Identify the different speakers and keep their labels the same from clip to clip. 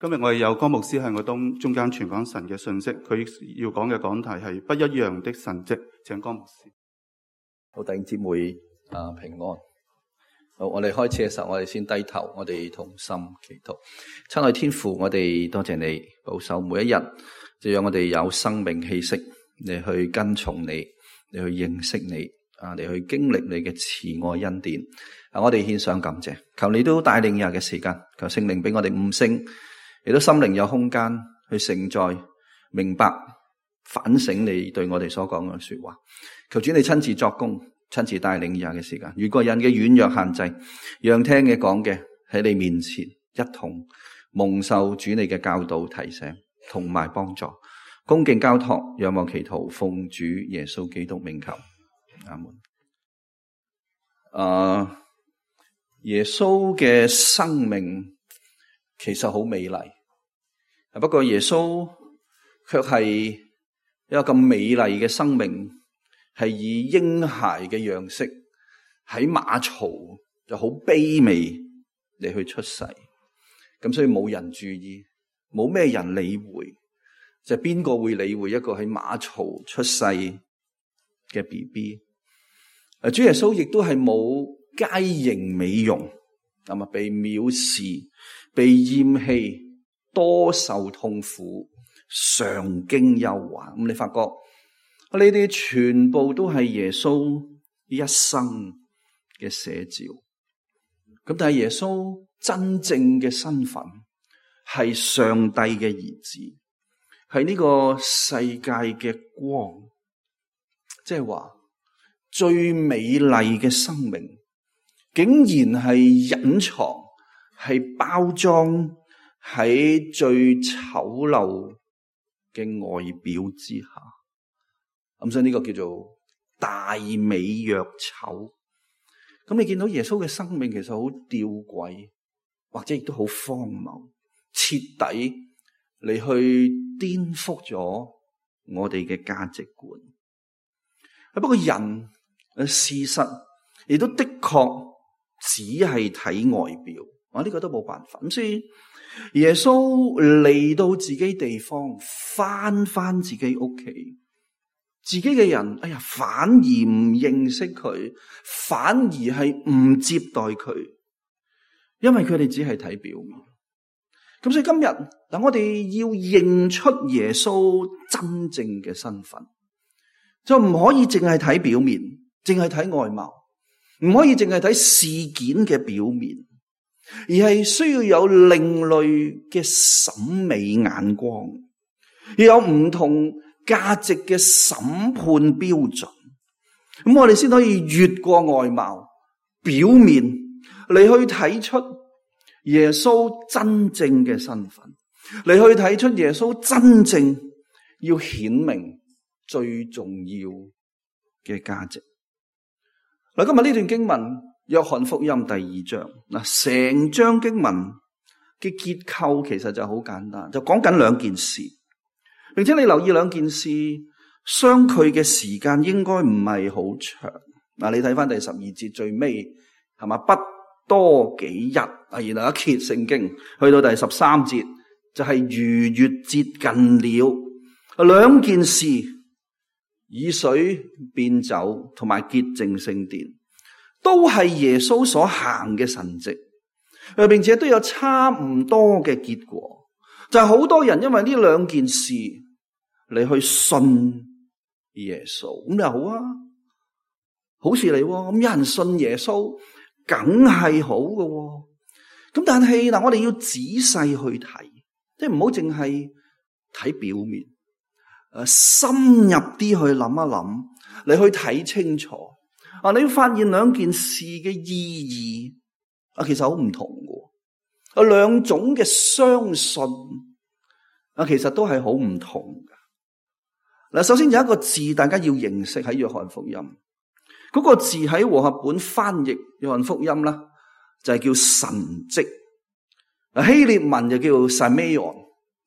Speaker 1: 今日我哋有江牧師喺我中間傳講神嘅信息，佢要講嘅講題係不一樣的神蹟，請江牧師。
Speaker 2: 好，弟兄姊妹平安。好，我哋開始嘅時候，我哋先低頭，我哋同心祈禱。親愛天父，我哋多謝你保守每一日，就讓我哋有生命氣息，你去跟從你，你去認識你，你去經歷你嘅慈愛恩典。我哋獻上感謝，求你都帶領日嘅時間，求聖靈俾我哋悟性，亦都心靈有空間去承載、明白、反省你對我哋所講嘅說話。求主你親自作工，親自帶領日嘅時間，越過人嘅軟弱限制，讓聽嘅講嘅喺你面前一同蒙受主你嘅教導提醒同埋幫助，恭敬交託，仰望祈禱，奉主耶穌基督名求，阿門。耶穌嘅生命其實好美麗，不過耶穌卻係一個咁美麗嘅生命，係以嬰孩嘅樣式喺馬槽就好卑微嚟去出世，咁所以冇人注意，冇咩人理會，就邊個會理會一個喺馬槽出世嘅 BB？ 主耶穌亦都係冇佳形美容，咁啊被藐視、被厭棄、多受痛苦、常經憂患。咁你發覺呢啲全部都係耶穌一生嘅寫照。咁但係耶穌真正嘅身份係上帝嘅兒子，係呢個世界嘅光，即係話最美麗嘅生命竟然係隱藏，係包裝喺最醜陋嘅外表之下。咁所以呢個叫做大美若醜。咁你見到耶穌嘅生命其實好吊詭，或者亦都好荒謬，徹底嚟去顛覆咗我哋嘅價值觀。不過人事實亦都的確只係睇外表，呢個都冇辦法。咁所以耶穌嚟到自己地方，翻自己屋企，自己嘅人反而唔認識佢，反而係唔接待佢，因為佢哋只係睇表面。咁所以今日我哋要認出耶穌真正嘅身份，就唔可以淨係睇表面，淨係睇外貌，唔可以淨係睇事件嘅表面，而係需要有另類嘅審美眼光，要有唔同價值嘅審判標準。咁我哋先可以越過外貌表面嚟去睇出耶穌真正嘅身份，嚟去睇出耶穌真正要顯明最重要嘅價值。嗱，今日呢段經文約翰福音第2章，嗱，成章經文嘅結構其實就好簡單，就講緊兩件事，並且你留意兩件事相距嘅時間應該唔係好長。嗱，你睇翻第12節最尾係嘛，不多幾日，然後一揭聖經去到第13節就係逾越節近了。兩件事，以水變酒同埋潔淨聖殿，都係耶穌所行嘅神蹟，並且都有差唔多嘅結果，就係好多人因為呢兩件事嚟去信耶穌。咁又好啊，好事嚟喎。咁有人信耶穌梗係好嘅。咁但係我哋要仔細去睇，即係唔好淨係睇表面，深入啲去諗一諗，你去睇清楚。你要發現兩件事嘅意義其實好唔同嘅。兩種嘅相信其實都係好唔同嘅。嗱，首先有一個字大家要認識喺約翰福音，嗰個字喺和合本翻譯約翰福音啦，就係叫神蹟。希臘文就叫 Semeion，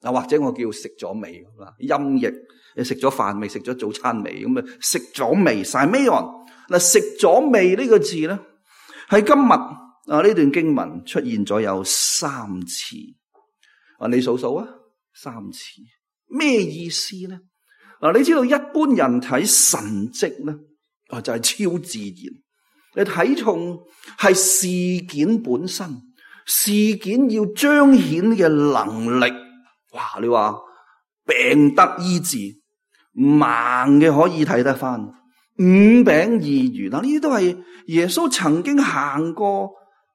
Speaker 2: 或者我叫食咗未，音譯你食咗飯未，食咗早餐未，咁啊食咗未 Semeion。嗱，食咗未呢個字咧，喺今日呢段經文出現咗有3次。你數數啊，3次。咩意思呢？你知道一般人睇神蹟咧，就係超自然。你睇重係事件本身，事件要彰顯嘅能力。哇！你話病得醫治，盲嘅可以睇得翻，5餅2魚，呢啲都係耶穌曾經行過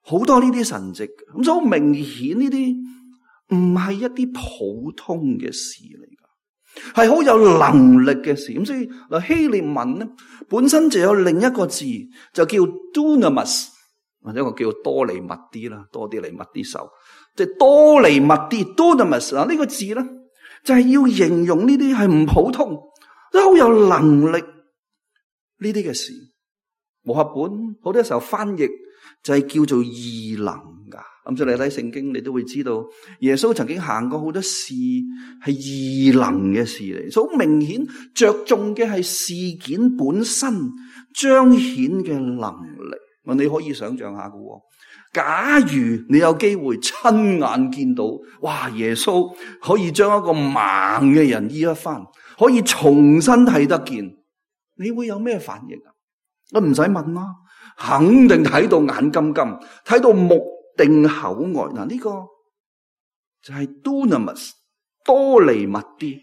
Speaker 2: 好多呢啲神蹟。咁所以好明顯呢啲唔係一啲普通嘅事嚟噶，係好有能力嘅事。咁所以希臘文咧本身就有另一個字，就叫 dunamis， 或者我叫多利密啲啦，多啲嚟密啲手，即係多利密啲 dunamis。呢個字咧就係要形容呢啲係唔普通，都好有能力呢啲嘅事。和合本好多時候翻譯就係叫做異能噶。咁所以你睇聖經，你都會知道耶穌曾經行過好多事係異能嘅事嚟，所以好明顯着重嘅係事件本身彰顯嘅能力。你可以想象下噶，假如你有機會親眼見到，哇！耶穌可以將一個盲嘅人醫一番，可以重新睇得見，你會有咩反應啊？我唔使問啦，肯定睇到眼金金，睇到目定口呆。呢個就係 dunamis 多利密啲。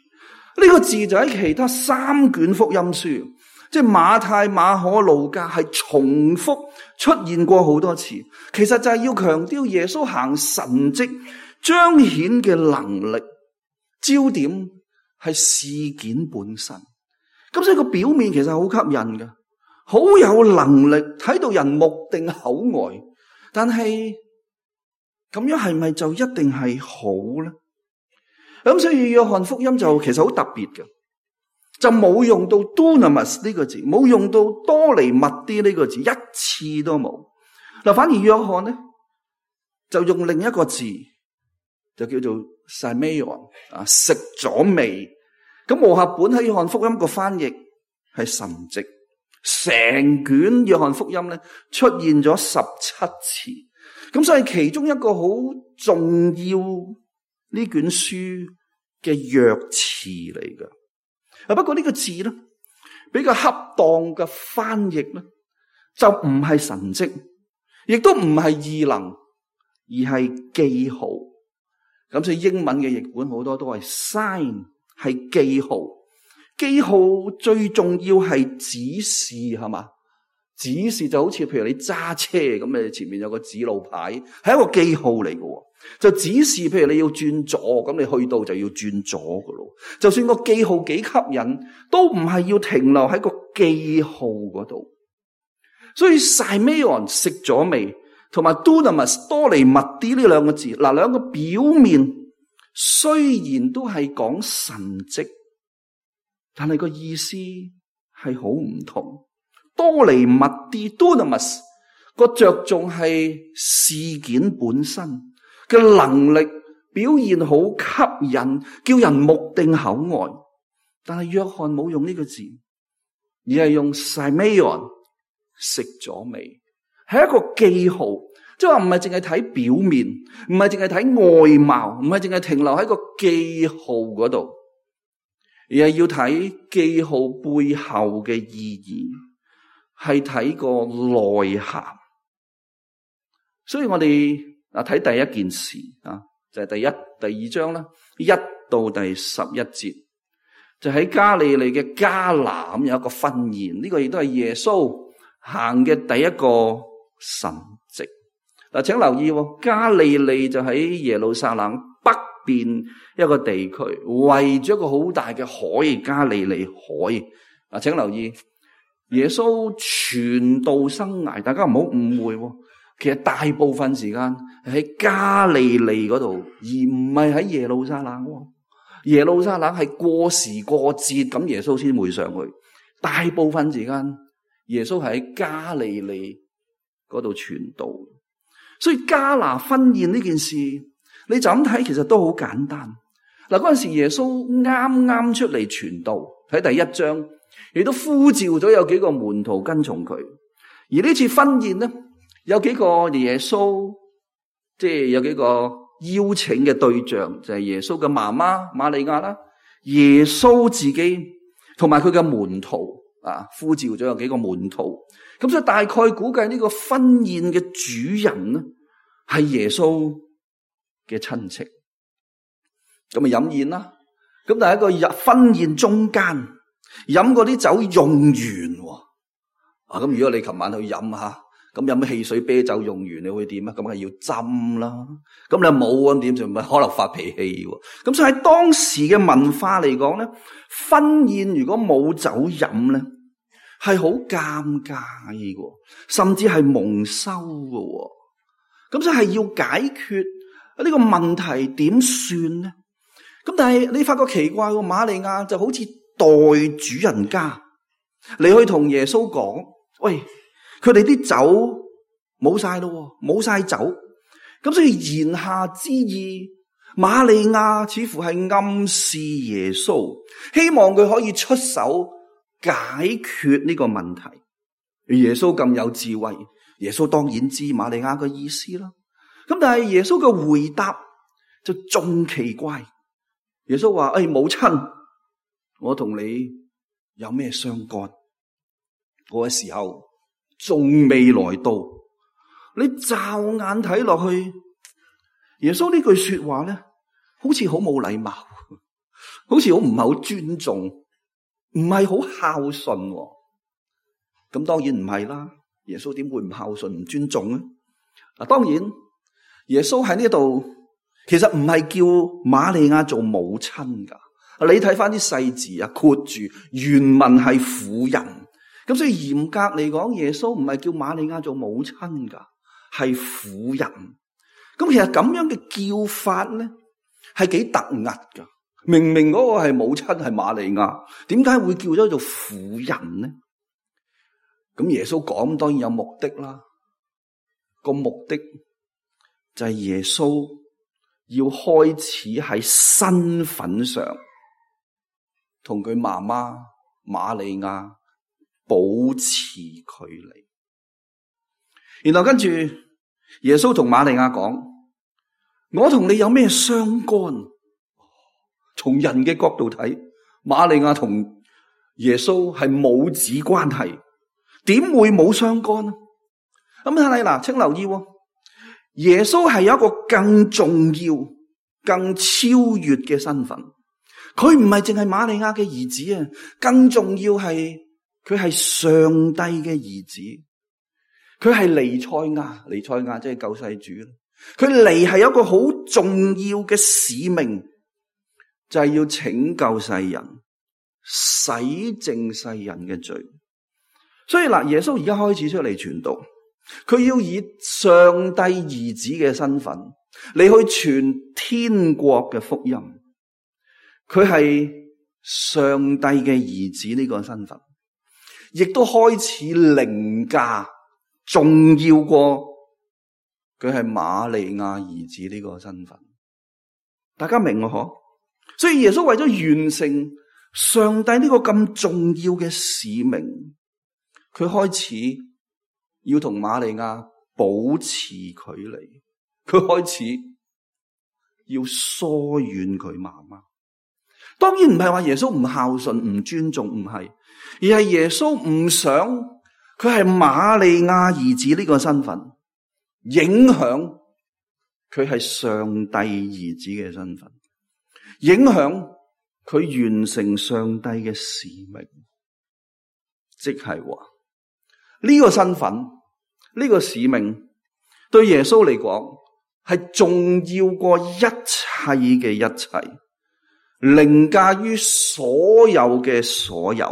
Speaker 2: 呢個字就喺其他3卷福音書，即係馬太、馬可、路加，係重複出現過好多次。其實就係要強調耶穌行神蹟彰顯嘅能力，焦點係事件本身。咁所以個表面其實好吸引嘅，好有能力，睇到人目定口呆。但係咁樣係咪就一定係好呢？咁所以約翰福音就其實好特別嘅，就冇用到 dunamis 呢個字，冇用到多利密啲呢個字，一次都冇。反而約翰呢就用另一個字，就叫做 semeion， 食咗未。咁和合本喺約翰福音個翻譯係神蹟，成卷約翰福音咧出現咗17次。咁所以其中一個好重要呢卷書嘅約詞嚟噶。不過呢個字咧比較恰當嘅翻譯咧，就唔係神蹟，亦都唔係異能，而係記號。咁所以英文嘅譯本好多都係 sign， 係記號。記號最重要係指示，係嘛？指示就好似譬如你揸車咁，你前面有個指路牌，係一個記號嚟嘅。就指示譬如你要轉左，咁你去到就要轉左嘅咯。就算個記號幾吸引，都唔係要停留喺個記號嗰度。所以 semeion 食咗未，同埋 dunamis 多利密啲呢兩個字，兩個表面雖然都係講神蹟，但係個意思係好唔同。多利密啲 dunamis 個着重係事件本身嘅能力，表現好吸引，叫人目定口呆。但係約翰冇用呢個字，而係用 semeion 食咗未，係一個記號，即係話唔係淨係睇表面，唔係淨係睇外貌，唔係淨係停留喺個記號嗰度，而係要睇記號背後嘅意義，係睇個內涵。所以我哋睇第一件事就係第2章啦，1到第11節，就喺加利利嘅迦拿有一個婚宴，呢個亦都係耶穌行嘅第一個神蹟。請留意，加利利就喺耶路撒冷北邊一個地區，圍住一個好大嘅海，加利利海。請留意，耶穌傳道生涯，大家唔好誤會，其實大部分時間係喺加利利嗰度，而唔係喺耶路撒冷。耶路撒冷係過時過節咁，耶穌先會上去。大部分時間耶穌係喺加利利嗰度傳道。所以迦拿婚宴呢件事，你就咁睇，其實都好簡單。嗰陣時耶穌啱啱出嚟傳道，喺第1章亦都呼召咗有幾個門徒跟從佢。而呢次婚宴呢，有幾個耶穌，即係有幾個邀請嘅對象就係耶穌嘅媽媽瑪利亞啦，耶穌自己同埋佢嘅門徒啊，呼召咗有幾個門徒，咁所以大概估計呢個婚宴嘅主人呢係耶穌嘅親戚，咁咪飲宴啦。咁但係一個婚宴中間飲嗰啲酒用完，啊咁如果你琴晚去飲下，咁飲汽水啤酒用完你會點啊？咁係要斟啦。咁你冇咁點就咪可能發脾氣喎。咁所以喺當時嘅文化嚟講咧，婚宴如果冇酒飲咧，係好尷尬嘅，甚至係蒙羞嘅。咁所以係要解決呢個問題點算咧？咁但係你發覺奇怪喎，瑪利亞就好似代主人家，你去同耶穌講，喂，佢哋啲酒冇晒咯，冇晒酒。咁所以言下之意，瑪利亞似乎係暗示耶穌，希望佢可以出手解決呢個問題。耶穌咁有智慧，耶穌當然知瑪利亞嘅意思啦。咁但係耶穌嘅回答就仲奇怪。耶穌話：母親，我同你有咩相干？嗰個時候仲未來到，你驟眼睇落去，耶穌呢句說話咧，好似好冇禮貌，好似好唔係好尊重，唔係好孝順。咁當然唔係啦，耶穌點會唔孝順、唔尊重咧？嗱，當然耶穌喺呢度。其實唔係叫瑪利亞做母親噶，你睇翻啲細字啊，括住原文係婦人，咁所以嚴格嚟講，耶穌唔係叫瑪利亞做母親噶，係婦人。咁其實咁樣嘅叫法咧，係幾突兀噶。明明嗰個係母親係瑪利亞，點解會叫咗做婦人呢？咁耶穌講當然有目的啦，個目的就係耶穌要開始喺身份上同佢媽媽瑪利亞保持距離，然後跟住耶穌同瑪利亞講：我同你有咩相干？從人嘅角度睇，瑪利亞同耶穌係母子關係，點會冇相干呢？咁睇嚟嗱，請留意喎。耶穌係有一個更重要、更超越嘅身份，佢唔係淨係瑪利亞嘅兒子啊，更重要係佢係上帝嘅兒子，佢係彌賽亞，彌賽亞即係救世主。佢嚟係有一個好重要嘅使命，就係要拯救世人，洗淨世人嘅罪。所以嗱，耶穌而家開始出嚟傳道。佢要以上帝兒子嘅身份嚟去傳天國嘅福音，佢係上帝嘅兒子呢個身份，亦都開始凌駕重要過佢係瑪利亞兒子呢個身份。大家明我嗬？所以耶穌為咗完成上帝呢個咁重要嘅使命，佢開始要同瑪利亞保持距離，佢開始要疏遠佢媽媽。當然唔係話耶穌唔孝順、唔尊重，唔係，而係耶穌唔想佢係瑪利亞兒子呢個身份影響佢係上帝兒子嘅身份，影響佢完成上帝嘅使命，即係話呢個身份、呢個使命對耶穌嚟講係重要過一切嘅一切，凌駕於所有嘅所有。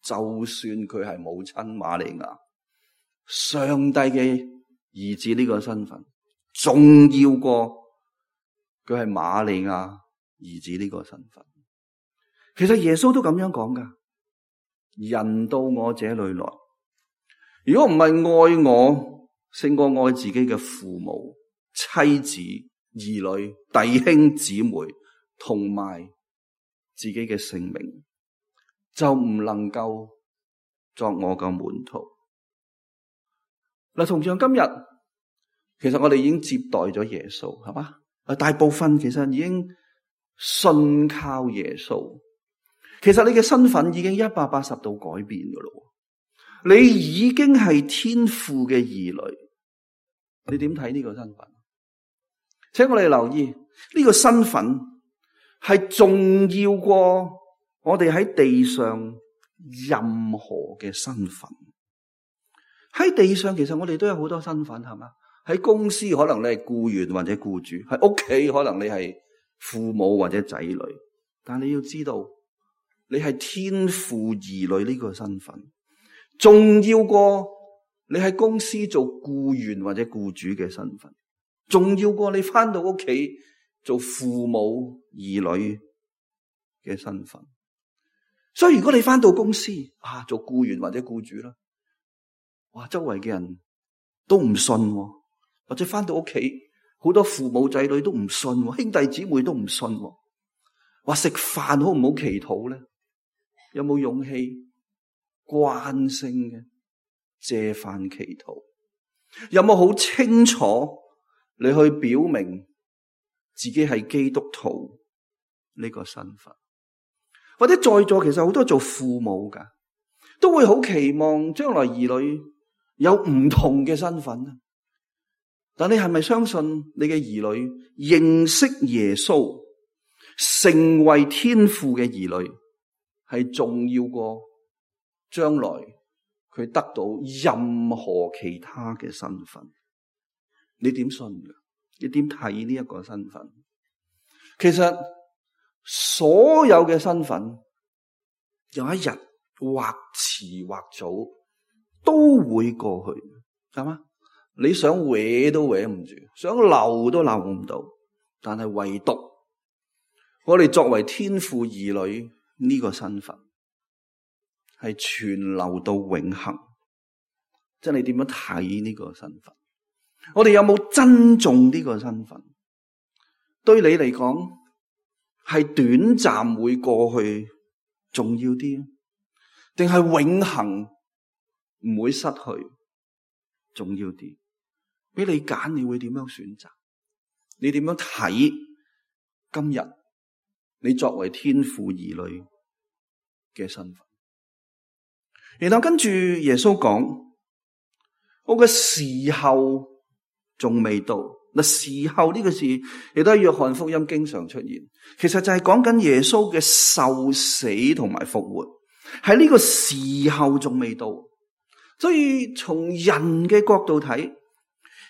Speaker 2: 就算佢係母親瑪利亞，上帝嘅兒子呢個身份重要過佢係瑪利亞兒子呢個身份。其實耶穌都咁樣講噶，人到我這裏來，如果唔係愛我勝過愛自己嘅父母、妻子、兒女、弟兄姊妹同埋自己嘅性命，就唔能夠作我嘅門徒。嗱，同樣今日，其實我哋已經接待咗耶穌，係嘛？大部分其實已經信靠耶穌。其實你嘅身份已經180度改變㗎咯。你已經係天父嘅兒女。你點睇呢個身份？請我哋留意，呢個身份係重要過我哋喺地上任何嘅身份。喺地上其實我哋都有好多身份，係嘛？喺公司可能你係僱員或者僱主，喺屋企可能你係父母或者仔女。但你要知道，你係天父兒女呢個身份，重要過你喺公司做僱員或者僱主嘅身份，重要過你翻到屋企做父母兒女嘅身份。所以如果你翻到公司做僱員或者僱主啦，哇，周圍嘅人都唔信，或者翻到屋企好多父母仔女都唔信，兄弟姊妹都唔信，話食飯好唔好祈禱咧？有冇勇氣慣性嘅借飯祈禱？有冇好清楚你去表明自己係基督徒呢個身份？或者在座其實好多做父母噶，都會好期望將來兒女有唔同嘅身份。但你係咪相信你嘅兒女認識耶穌，成為天父嘅兒女，係重要過將來佢得到任何其他嘅身份？你點信㗎？你點睇呢一個身份？其實所有嘅身份有一日或遲或早都會過去，係嘛？你想搲都搲唔住，想留都留唔到。但係唯獨我哋作為天父兒女呢個身份係存留到永恆。即係你點樣睇呢個身份？我哋有冇珍重呢個身份？對你嚟講係短暫會過去重要啲，定係永恆唔會失去重要啲？俾你揀，你會點樣選擇？你點樣睇今日你作為天父兒女嘅身份？然後跟住耶穌講，我嘅時候仲未到。嗱，時候呢個字亦都喺約翰福音經常出現，其實就係講緊耶穌嘅受死同埋復活，喺呢個時候仲未到。所以從人嘅角度睇，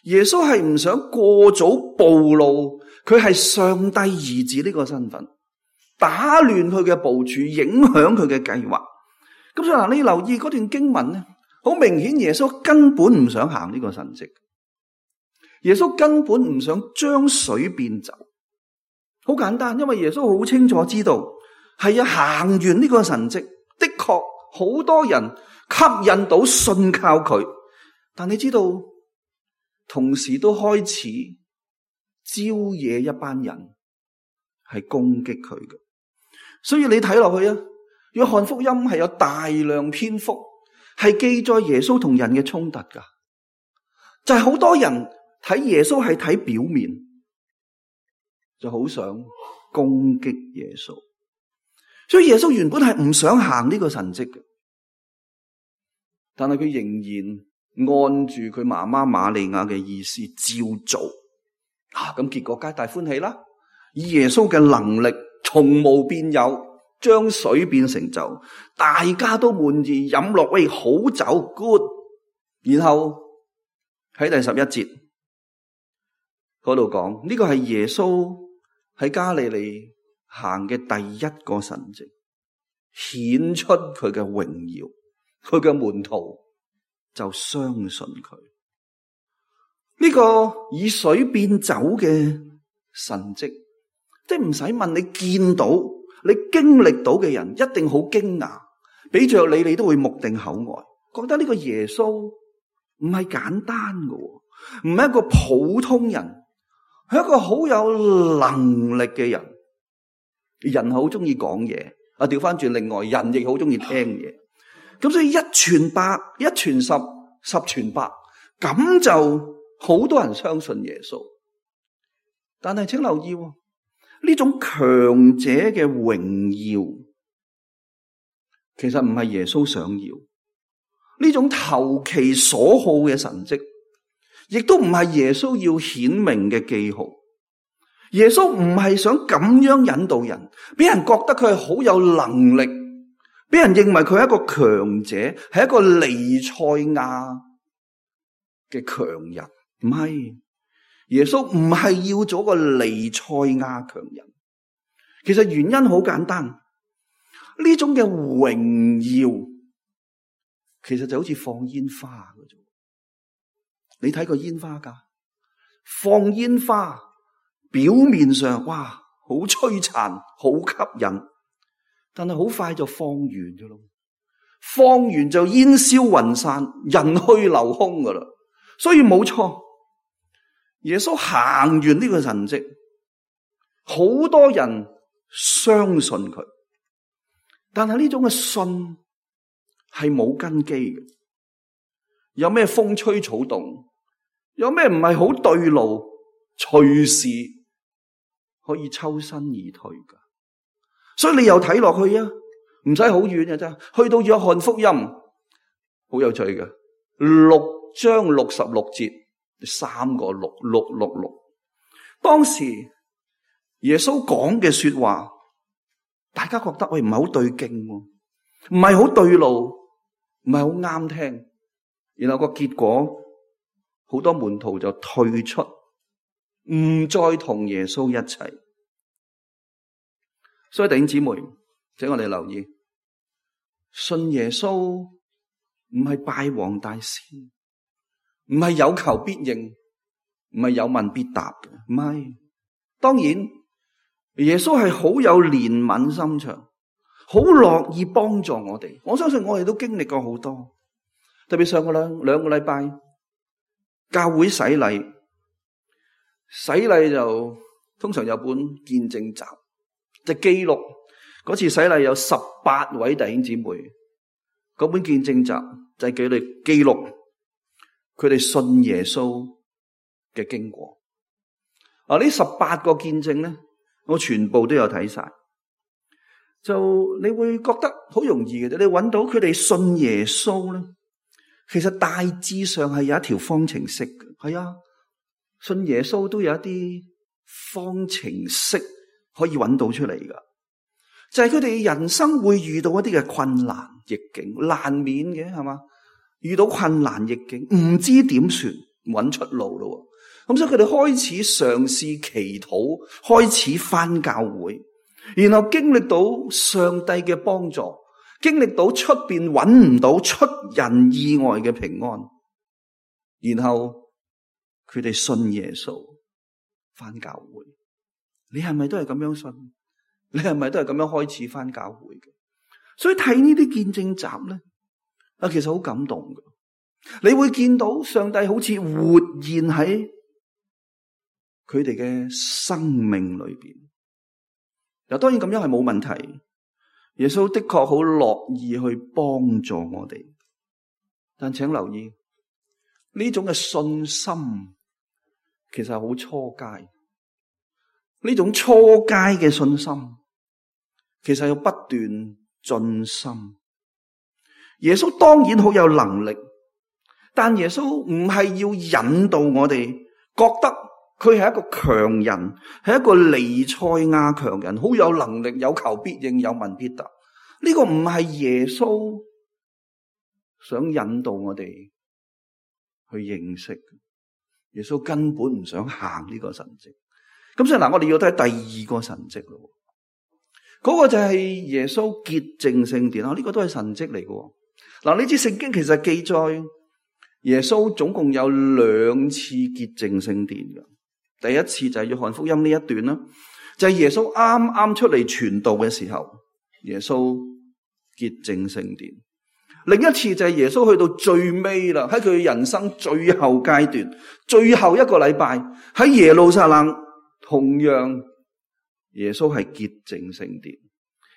Speaker 2: 耶穌係唔想過早暴露佢係上帝兒子呢個身份，打亂佢嘅部署，影響佢嘅計劃。咁所以嗱，你留意嗰段經文咧，好明顯耶穌根本唔想行呢個神蹟。耶穌根本唔想將水變酒，好簡單，因為耶穌好清楚知道係行完呢個神蹟，的確好多人吸引到信靠佢，但你知道同時都開始招惹一班人係攻擊佢嘅。所以你睇落去啊，約翰福音係有大量篇幅係記載耶穌同人嘅衝突噶，就係好多人睇耶穌係睇表面，就好想攻擊耶穌。所以耶穌原本係唔想行呢個神蹟嘅，但係佢仍然按住佢媽媽瑪利亞嘅意思照做。咁結果皆大歡喜啦！以耶穌嘅能力從無變有，將水變成酒，大家都滿意飲落，喂，好酒 good。然後喺第11節嗰度講，呢個係耶穌喺加利利行嘅第一個神蹟，顯出佢嘅榮耀，佢嘅門徒就相信佢。呢個以水變酒嘅神蹟，即係唔使問，你見到你經歷到嘅人一定好驚訝，俾着你都會目定口呆，覺得呢個耶穌唔係簡單嘅，唔係一個普通人，係一個好有能力嘅人。人好中意講嘢，調翻轉，另外人亦好中意聽嘢。咁所以一傳百，一傳十，十傳百，咁就好多人相信耶穌。但係請留意喎，呢種強者嘅榮耀，其實唔係耶穌想要。呢種投其所好嘅神蹟，亦都唔係耶穌要顯明嘅記號。耶穌唔係想咁樣引導人，俾人覺得佢係好有能力，俾人認為佢係一個強者，係一個彌賽亞嘅強人。唔係，耶穌唔係要做個彌賽亞強人。其實原因好簡單，呢種嘅榮耀其實就好似放煙花嘅啫。你睇個煙花架，放煙花表面上哇好璀璨，好吸引，但係好快就放完嘅咯。放完就煙消雲散，人去樓空噶啦。所以冇錯，耶穌行完呢個神蹟，好多人相信佢，但係呢種嘅信係冇根基嘅。有咩風吹草動，有咩唔係好對路，隨時可以抽身而退噶。所以你又睇落去啊，唔使好遠嘅啫。去到約翰福音，好有趣嘅，6章66節，3個6，666。當時耶穌講嘅說話，大家覺得喂唔係好對勁，唔係好對路，唔係好啱聽。然後個結果，好多門徒就退出，唔再同耶穌一齊。所以弟兄姊妹，請我哋留意，信耶穌唔係拜黃大仙，唔係有求必應，唔係有問必答嘅，唔係。當然，耶穌係好有憐憫心腸，好樂意幫助我哋。我相信我哋都經歷過好多。特別上個兩個禮拜，教會洗禮就通常有本見證集，就記錄嗰次洗禮有18位弟兄姊妹，嗰本見證集就係佢哋記錄佢哋信耶穌嘅經過。呢18個見證咧，我全部都有睇晒，就你會覺得好容易嘅啫。你揾到佢哋信耶穌咧，其實大致上係有一條方程式嘅。係啊，信耶穌都有一啲方程式可以揾到出嚟噶，就係佢哋人生會遇到一啲嘅困難逆境，難免嘅係嘛？遇到困難逆境，唔知點算，揾出路咯。咁所以佢哋開始嘗試祈禱，開始返教會，然後經歷到上帝嘅幫助，經歷到出邊揾唔到出人意外嘅平安，然後佢哋信耶穌返教會。你係咪都係咁樣信？你係咪都係咁樣開始返教會嘅？所以睇呢啲見證集咧，其實好感動嘅。你會見到上帝好似活現喺佢哋嘅生命裏邊。嗱，當然咁樣係冇問題。耶穌的確好樂意去幫助我哋，但請留意呢種嘅信心其實係好初階。呢種初階嘅信心其實要不斷進深。耶穌當然好有能力，但耶穌唔係要引導我哋覺得佢係一個強人，係一個彌賽亞強人，好有能力，有求必應，有問必答。呢個唔係耶穌想引導我哋去認識。耶穌根本唔想行呢個神蹟。咁所以嗱，我哋要睇第二個神蹟咯。嗰個就係耶穌潔淨聖殿。呢個都係神蹟嚟嘅。嗱，呢支聖經其實記載耶穌總共有2次潔淨聖殿嘅。第一次就係約翰福音呢一段啦，就係耶穌啱啱出嚟傳道嘅時候，耶穌潔淨聖殿。另一次就係耶穌去到最尾啦，喺佢人生最後階段，最後一個禮拜喺耶路撒冷，同樣耶穌係潔淨聖殿。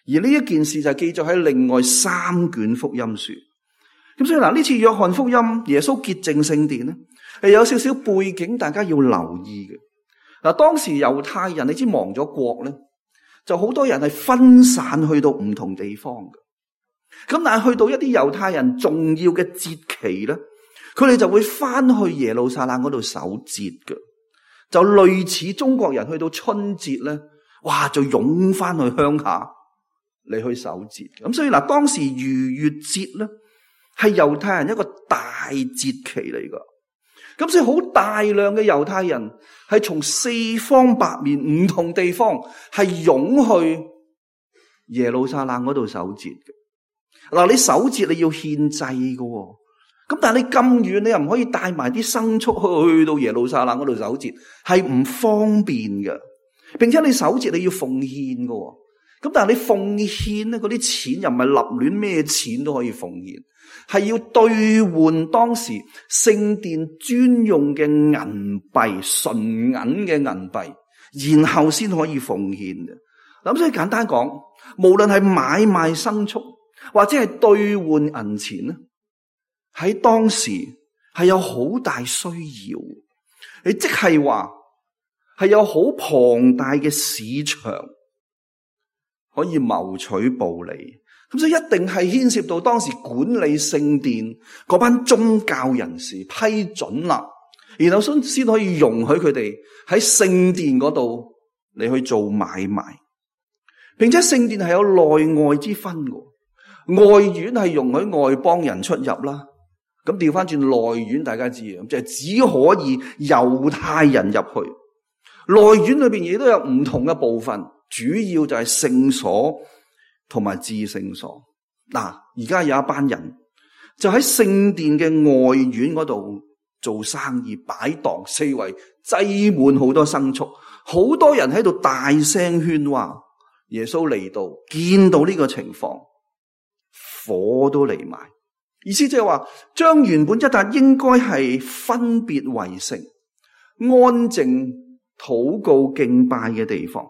Speaker 2: 而呢一件事就係記載喺另外3卷福音書。咁所以嗱，呢次約翰福音耶穌潔淨聖殿咧，係有少少背景，大家要留意嘅。嗱，當時猶太人你知亡咗國咧，就好多人係分散去到唔同地方嘅。咁但係去到一啲猶太人重要嘅節期咧，佢哋就會翻去耶路撒冷嗰度守節嘅，就類似中國人去到春節咧，哇就湧翻去鄉下嚟去守節。咁所以嗱，當時逾越節咧係猶太人一個大節期嚟噶。咁所以好大量嘅猶太人係從四方八面唔同地方係湧去耶路撒冷嗰度守節嘅。嗱，你守節你要獻祭嘅，咁但係你咁遠，你又唔可以帶埋啲牲畜去到耶路撒冷嗰度守節，係唔方便嘅。並且你守節你要奉獻嘅，咁但係你奉獻咧，嗰啲錢又唔係立亂咩錢都可以奉獻，係要兌換當時聖殿專用嘅銀幣，純銀嘅銀幣，然後先可以奉獻嘅。咁所以簡單講，無論係買賣牲畜或者係兌換銀錢咧，喺當時係有好大需要。你即係話係有好龐大嘅市場可以謀取暴利，咁所以一定係牽涉到當時管理聖殿嗰班宗教人士批准啦，然後先可以容許佢哋喺聖殿嗰度嚟去做買賣，並且聖殿係有內外之分嘅。外院係容許外邦人出入啦，咁調翻轉內院大家知啊，就係只可以猶太人入去。內院裏邊亦都有唔同嘅部分，主要就係聖所同埋至聖所。嗱，而家有一班人就喺聖殿嘅外院嗰度做生意擺檔，四圍擠滿好多牲畜，好多人喺度大聲喧嘩。耶穌嚟到，見到呢個情況，火都嚟埋。意思即係話，將原本一笪應該係分別為聖、安靜禱告敬拜嘅地方，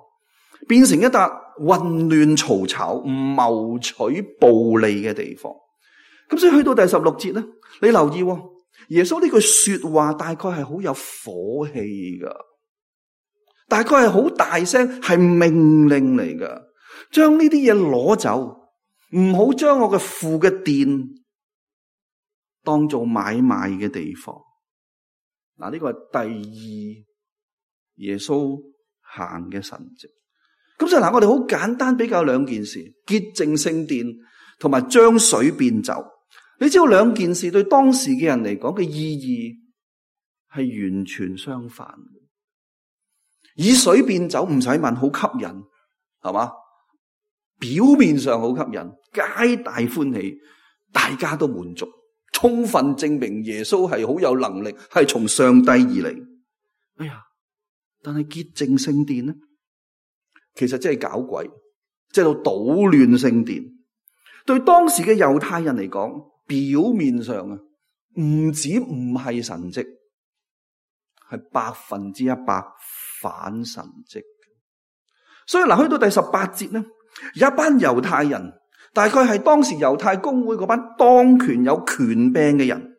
Speaker 2: 變成一笪混亂嘈吵、謀取暴利嘅地方。咁所以去到第16節咧，你留意耶穌呢句說話大概係好有火氣噶，大概係好大聲，係命令嚟噶，將呢啲嘢攞走，唔好將我嘅父嘅殿當做買賣嘅地方。嗱，呢個係第二耶穌行嘅神蹟。咁所以嗱，我哋好簡單比較兩件事：潔淨聖殿同埋將水變酒。你知道兩件事對當時嘅人嚟講嘅意義係完全相反嘅。以水變酒唔使問，好吸引，係嘛？表面上好吸引，皆大歡喜，大家都滿足，充分證明耶穌係好有能力，係從上帝而嚟。哎呀！但係潔淨聖殿呢，其實真係搞鬼，即係到搗亂聖殿。對當時嘅猶太人嚟講，表面上啊，唔止唔係神蹟，係100%反神蹟。所以嗱，去到第18節呢，有一班猶太人，大概係當時猶太公會嗰班當權有權柄嘅人，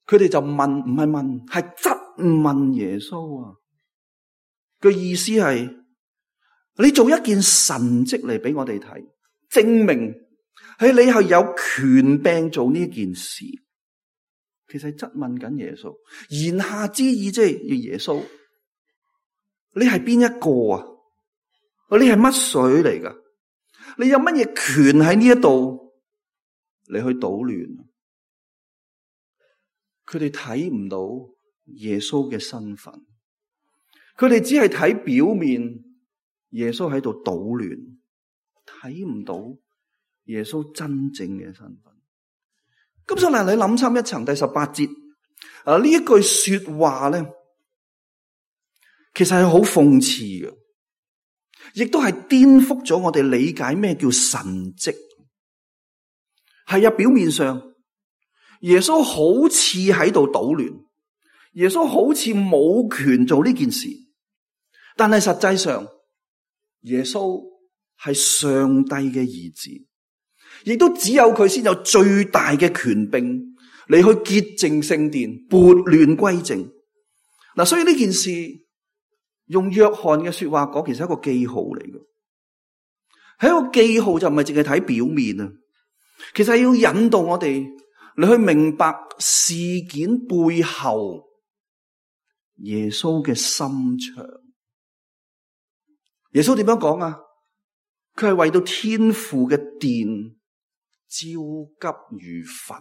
Speaker 2: 佢哋就問，唔係問，係質問耶穌啊。個意思係，你做一件神蹟嚟俾我哋睇，證明係你係有權柄做呢件事。其實係質問緊耶穌，言下之意即係耶穌，你係邊一個啊？你係乜水嚟噶？你有乜嘢權喺呢一度嚟去搗亂？佢哋睇唔到耶穌嘅身份。佢哋只係睇表面，耶穌喺度搗亂，睇唔到耶穌真正嘅身份。咁所以你諗深一層，第18節呢一句說話咧，其實係好諷刺嘅，亦都係顛覆咗我哋理解咩叫神蹟。係啊，表面上耶穌好似喺度搗亂，耶穌好似冇權做呢件事。但係實際上，耶穌係上帝嘅兒子，亦都只有佢先有最大嘅權柄嚟去潔淨聖殿，撥亂歸正。嗱，所以呢件事用約翰嘅說話講，其實係一個記號嚟嘅。係一個記號，就唔係淨係睇表面啊，其實係要引導我哋你去明白事件背後耶穌嘅心腸。耶穌點樣講啊？佢係為到天父嘅殿焦急如焚，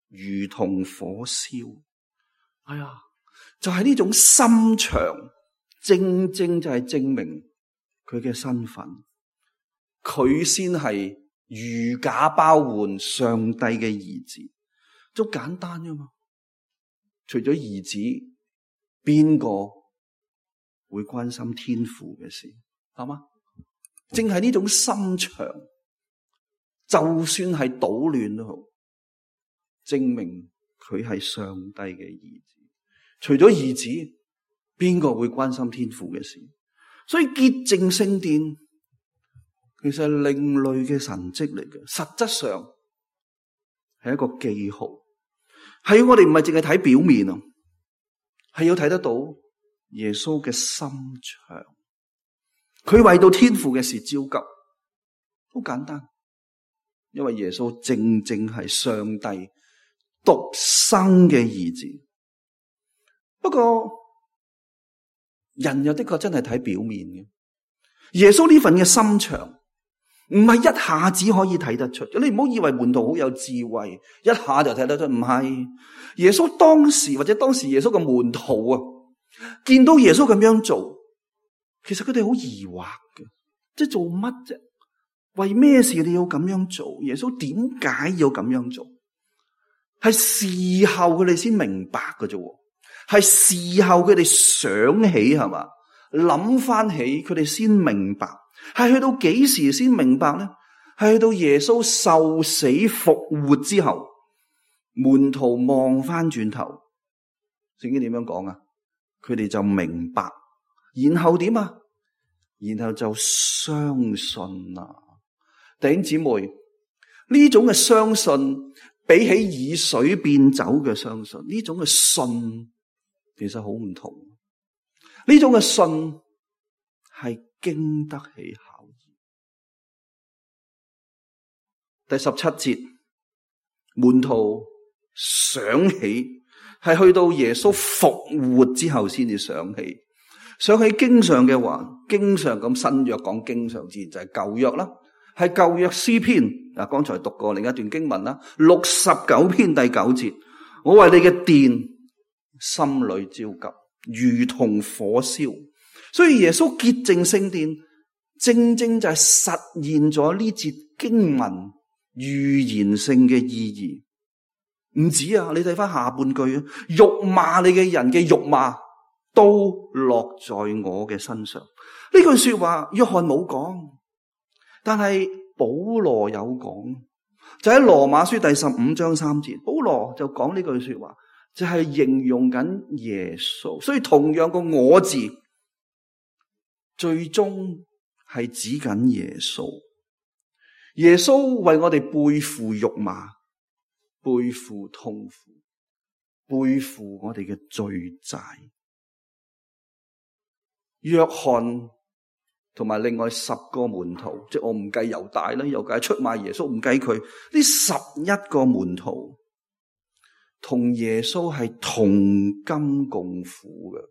Speaker 2: 如同火燒。哎呀，就係呢種心腸，正正就係證明佢嘅身份。佢先係如假包換上帝嘅兒子，都簡單啫嘛。除咗兒子，邊個會關心天父嘅事？係嘛？正係呢種心腸，就算係搗亂都好，證明佢係上帝嘅兒子。除咗兒子，邊個會關心天父嘅事？所以潔淨聖殿其實係另類嘅神蹟嚟嘅，實質上係一個記號，係我哋唔係淨係睇表面啊，係要睇得到耶穌嘅心腸。佢為到天父嘅事焦急，好簡單，因為耶穌正正係上帝獨生嘅兒子。不過人又的確真係睇表面嘅，耶穌呢份嘅心腸唔係一下子可以睇得出。你唔好以為門徒好有智慧，一下就睇得出，唔係。耶穌當時耶穌嘅門徒啊，見到耶穌咁樣做，其實佢哋好疑惑嘅，即係做乜啫？為咩事你要咁樣做？耶穌點解要咁樣做？係事後佢哋先明白嘅啫，係事後佢哋想起，係嘛，諗翻起佢哋先明白。係去到幾時先明白呢？係去到耶穌受死復活之後，門徒望翻轉頭，聖經點樣講啊？佢哋就明白，然後點啊？然後就相信啦。弟兄姊妹，呢種嘅相信比起以水變酒嘅相信，呢種嘅信其實好唔同。呢種嘅信係經得起考驗。第17節，門徒想起，係去到耶穌復活之後先至想起。想起經上嘅話，經常咁新約講經上自然就係舊約啦，係舊約詩篇。嗱，剛才讀過另一段經文啦，69篇第9節，我為你嘅殿心裏焦急，如同火燒。所以耶穌潔淨聖殿，正正就係實現咗呢節經文預言性嘅意義。唔止啊，你睇翻下半句，辱罵你嘅人嘅辱罵都落在我嘅身上。呢句說話約翰冇講，但係保羅有講，就喺羅馬書第15章3節，保羅就講呢句說話，就係形容緊耶穌。所以同樣個我字最終係指緊耶穌。耶穌為我哋背負辱罵，背負痛苦，背負我哋嘅罪債。約翰同埋另外10個門徒，即係我唔計猶大啦，猶大出賣耶穌，唔計佢，呢11個門徒同耶穌係同甘共苦嘅，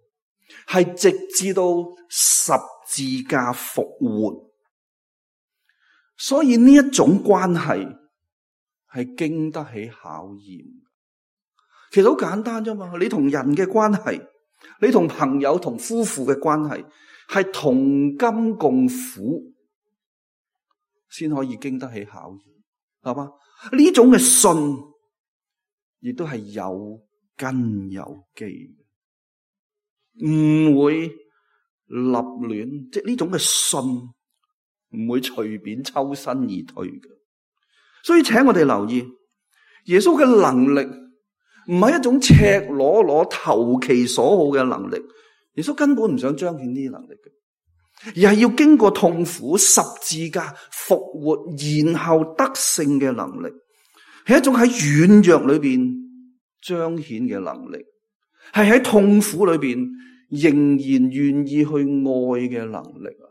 Speaker 2: 係直至到十字架復活。所以呢一種關係係經得起考驗。其實好簡單啫嘛，你同人嘅關係，你同朋友同夫婦嘅關係，係同甘共苦，先可以經得起考驗，係嘛？呢種嘅信，亦都係有根有基嘅，唔會立亂，即係呢種嘅信唔會隨便抽身而退嘅。所以請我哋留意，耶穌嘅能力唔係一種赤裸裸投其所好嘅能力，耶穌根本唔想彰顯呢啲能力嘅，而係要經過痛苦、十字架、復活，然後得勝嘅能力，係一種喺軟弱裏邊彰顯嘅能力，係喺痛苦裏邊仍然願意去愛嘅能力啊，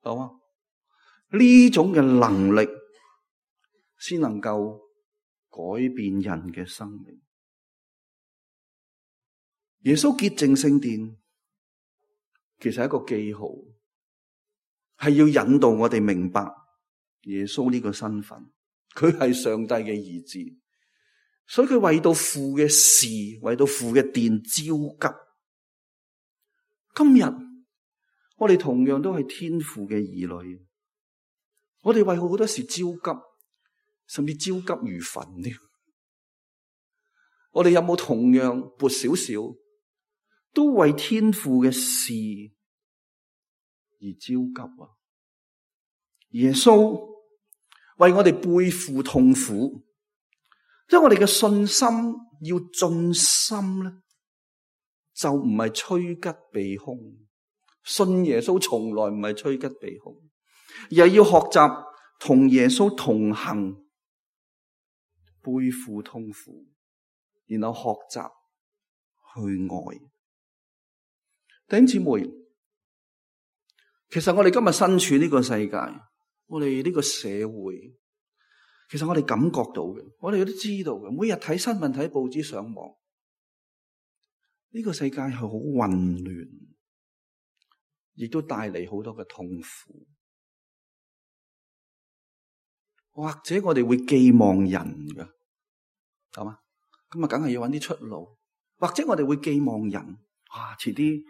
Speaker 2: 好嘛？呢種嘅能力先能夠改變人嘅生命。耶穌潔淨聖殿，其實係一個記號，係要引導我哋明白耶穌呢個身份，佢係上帝嘅兒子，所以佢為到父嘅事，為到父嘅殿焦急。今日我哋同樣都係天父嘅兒女，我哋為好多事焦急，甚至焦急如焚添。我哋有冇同樣撥少少，都為天父嘅事而焦急啊？耶穌為我哋背負痛苦，即係我哋嘅信心要盡心咧，就唔係趨吉避凶。信耶穌從來唔係趨吉避凶，而係要學習同耶穌同行，背負痛苦，然後學習去愛。弟兄姊妹，其實我哋今日身處呢個世界，我哋呢個社會，其實我哋感覺到嘅，我哋都知道嘅。每日睇新聞、睇報紙、上網，呢個世界係好混亂，亦都帶嚟好多嘅痛苦。或者我哋會寄望人㗎，係嘛？咁啊，梗係要揾啲出路。或者我哋會寄望人，哇！遲啲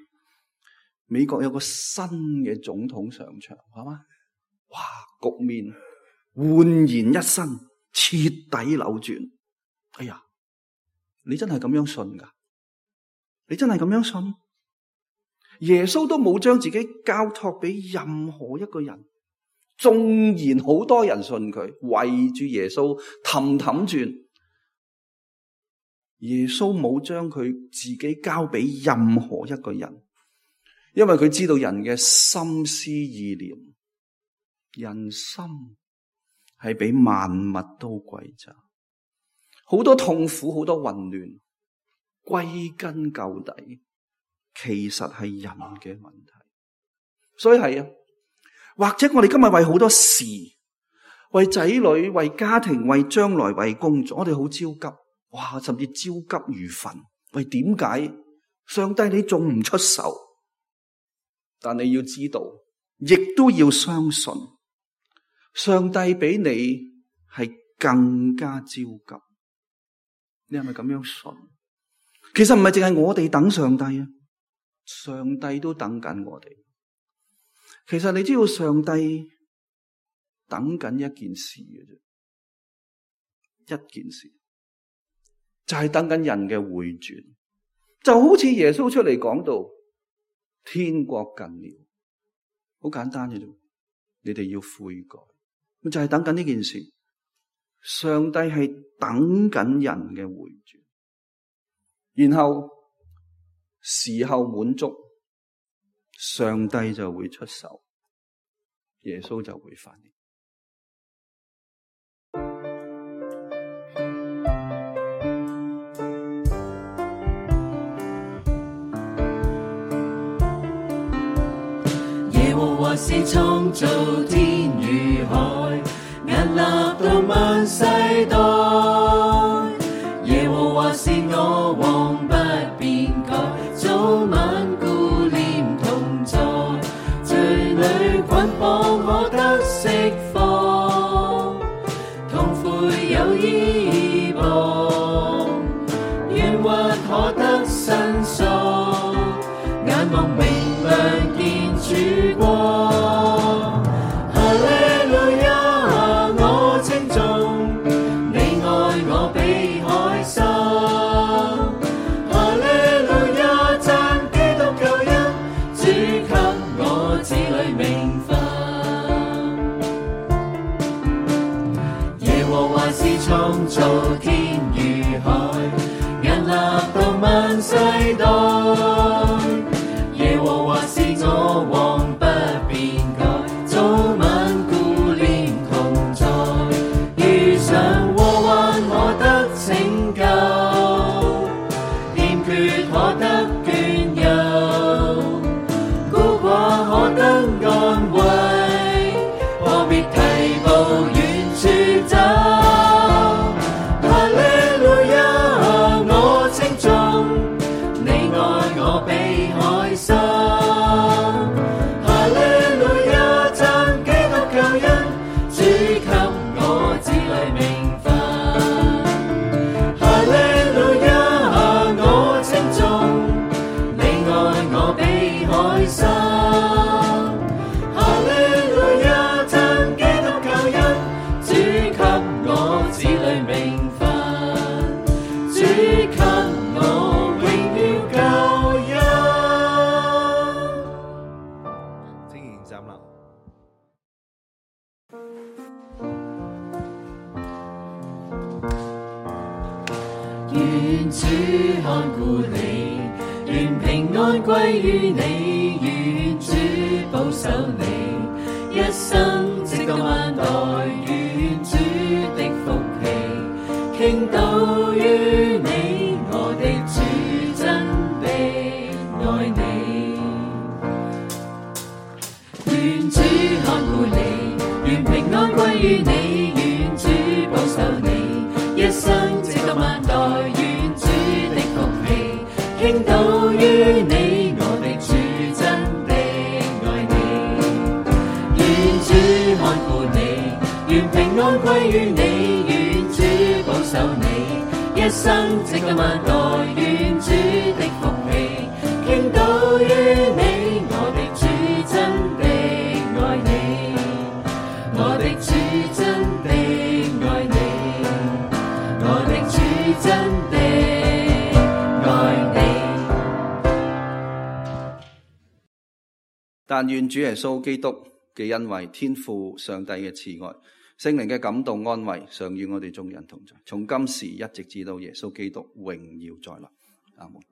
Speaker 2: 美國有個新嘅總統上場，係嘛？哇！局面煥然一新，徹底扭轉。哎呀，你真係咁樣信㗎？你真係咁樣信？耶穌都冇將自己交託俾任何一個人，縱然好多人信佢，圍住耶穌氹氹轉，耶穌冇將佢自己交俾任何一個人，因為佢知道人嘅心思意念，人心係比萬物都貴價，好多痛苦，好多混亂，歸根究底，其實係人嘅問題。所以係啊，或者我哋今日為好多事，為仔女、為家庭、為將來、為工作，我哋好焦急，哇，甚至焦急如焚。喂，點解上帝你仲唔出手？但你要知道，亦都要相信，上帝比你係更加焦急。你係咪咁樣信？其實唔係淨係我哋等上帝啊，上帝都等緊我哋。其實你知道上帝等緊一件事嘅啫，一件事就係等緊人嘅回轉，就好似耶穌出嚟講到天國近了，好簡單嘅啫，你哋要悔改，就係等緊呢件事。上帝係等緊人嘅回轉，然後時候滿足，上帝就會出手，耶穌就會翻嚟。
Speaker 3: 耶和華是創造天與海，屹立到萬世代。耶和華是我王不變改，早晚顧念同在。罪裏捆綁可得釋放，痛悔有依傍，冤屈可得申訴，眼望明亮見曙光。創造天與海，屹立到萬世代。耶和華是我王不變改，早晚顧念同在。遇上禍患可得拯救，欠缺可得眷佑。願主看顧你，願平安歸於你，願主保守你，一生直到萬代，願主的福氣傾倒於你，我的主真的愛你。願主看顧你，願平安歸於你，願主保守你，一生直到萬代，願主的福氣傾倒於你，我的主真的愛你。願主看顧你，願平安歸於你，願主保守你，一生直到萬代，願主的福氣傾倒於你，我的主真的愛你，我的主真的愛你，我的主真的愛你。
Speaker 2: 但願主耶穌基督嘅恩惠、天父上帝嘅慈愛、聖靈嘅感動安慰，常與我哋眾人同在，從今時一直至到耶穌基督榮耀再來。阿門。